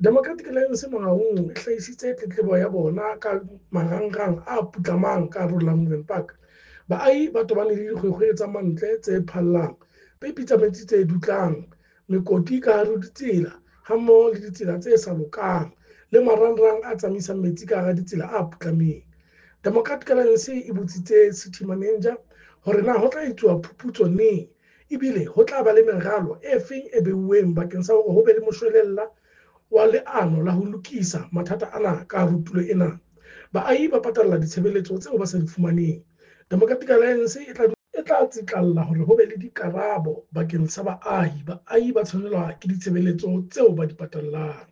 Democratic Alliance Mangaung e hlahisitse tletlebo ya bona ka marangrang a putlamang ka hare ho Langenhoven Park. Baahi ba tobane le dikgwekgwe tsa mantle tse phallang, peipi tsa metsi tse dutlang, mekoti ka hare ho ditsela, hammoho le ditsela tse sa lokang le marangrang a tsamaisang metsi ka hara ditsela a putlameng. Democratic Alliance e botsitse city manager hore na ho tla etsuwa phuputso neng, ebile ho tla ba le meralo e feng e beuweng bakeng sa hore ho be le moshwelella wa leano la ho lokisa mathata ana ka hare ho tulo ena. Baahi ba patalla ditshebeletso tseo ba sa di fumaneng. Democratic Alliance e tla tsitlalla hore ho be le dikarabo bakeng sa baahi. Baahi ba tshwanelwa ke ditshebeletso tseo ba di patallang.